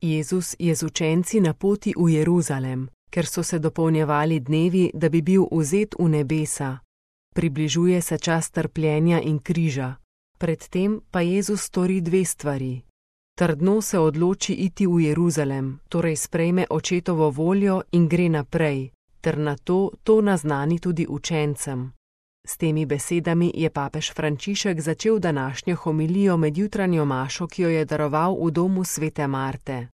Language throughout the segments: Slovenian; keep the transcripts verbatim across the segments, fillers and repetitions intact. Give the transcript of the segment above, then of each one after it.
Jezus je z učenci na poti v Jeruzalem, ker so se dopolnjevali dnevi, da bi bil vzet v nebesa. Približuje se čas trpljenja in križa. Predtem pa Jezus stori dve stvari. Trdno se odloči iti v Jeruzalem, torej sprejme očetovo voljo in gre naprej, ter nato to naznani tudi učencem. S temi besedami je papež Frančišek začel današnjo homilijo med jutranjo mašo, ki jo je daroval v domu svete Marte.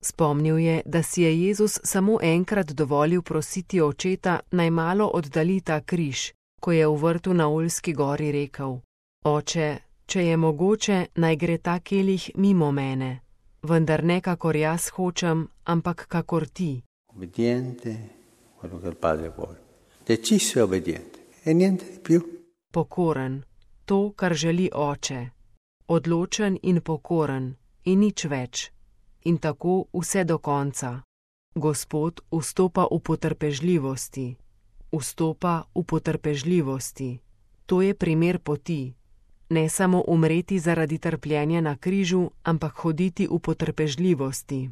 Spomnil je, da si je Jezus samo enkrat dovolil prositi očeta, naj malo oddali ta križ, ko je v vrtu na Oljski gori rekel: Oče, če je mogoče, naj gre ta kelih mimo mene, vendar ne kakor jaz hočem, ampak kakor ti. Obbediente, quello che il Padre vuole. Deciso e obbediente. E niente di più. Pokoren, to, kar želi oče. Odločen in pokoren, in nič več. In tako vse do konca. Gospod vstopa v potrpežljivosti. Vstopa v potrpežljivosti. To je primer poti. Ne samo umreti zaradi trpljenja na križu, ampak hoditi v potrpežljivosti.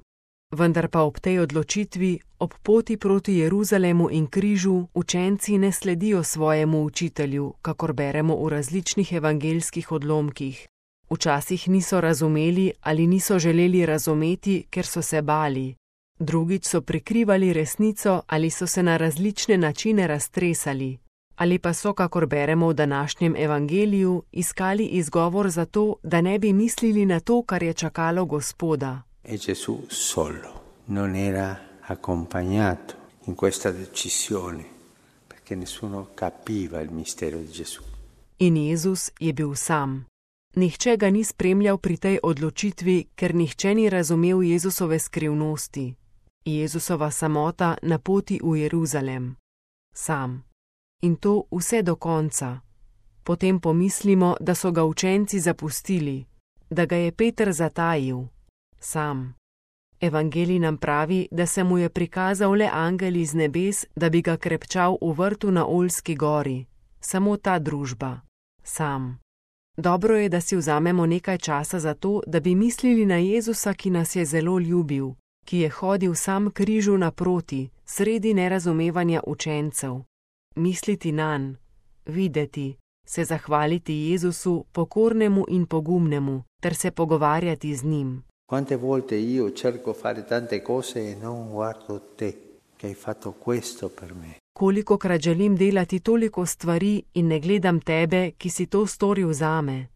Vendar pa ob tej odločitvi, ob poti proti Jeruzalemu in križu, učenci ne sledijo svojemu učitelju, kakor beremo v različnih evangeljskih odlomkih. Včasih niso razumeli ali niso želeli razumeti, ker so se bali. Drugič so prikrivali resnico ali so se na različne načine raztresali. Ali pa so, kakor beremo v današnjem evangeliju, iskali izgovor za to, da ne bi mislili na to, kar je čakalo Gospoda. E Gesù solo non era accompagnato in questa decisione, perché nessuno capiva il mistero di Gesù. In Jezus je bil sam. Nihče ga ni spremljal pri tej odločitvi, ker nihče ni razumel Jezusove skrivnosti. Jezusova samota na poti v Jeruzalem. Sam. In to vse do konca. Potem pomislimo, da so ga učenci zapustili, da ga je Peter zatajil. Sam. Evangelij nam pravi, da se mu je prikazal le angel iz nebes, da bi ga krepčal v vrtu na Oljski gori. Samo ta družba. Sam. Dobro je, da si vzamemo nekaj časa za to, da bi mislili na Jezusa, ki nas je zelo ljubil, ki je hodil sam križu naproti, sredi nerazumevanja učencev. Misliti nanj, videti, se zahvaliti Jezusu, pokornemu in pogumnemu, ter se pogovarjati z njim. Quante volte io cerco fare tante cose e non guardo te, che hai fatto questo per me. Kolikokrat želim delati toliko stvari in ne gledam tebe, ki si to storil zame.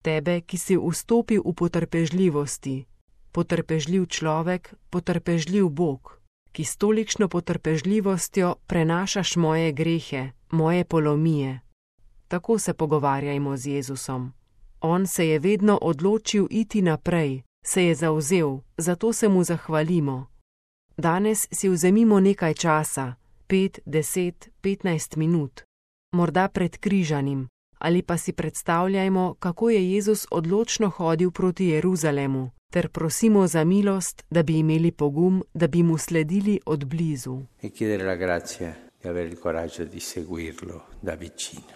Tebe, ki si vstopil v potrpežljivosti. Potrpežljiv človek, potrpežljiv Bog, ki s tolikšno potrpežljivostjo prenašaš moje grehe, moje polomije. Tako se pogovarjajmo z Jezusom. On se je vedno odločil iti naprej, se je zavzel, zato se mu zahvalimo. Danes si vzemimo nekaj časa, pet, deset, petnajst minut, morda pred križanim, ali pa si predstavljajmo, kako je Jezus odločno hodil proti Jeruzalemu, ter prosimo za milost, da bi imeli pogum, da bi mu sledili od blizu. E chiedere la grazia di avere il coraggio di seguirlo da vicino.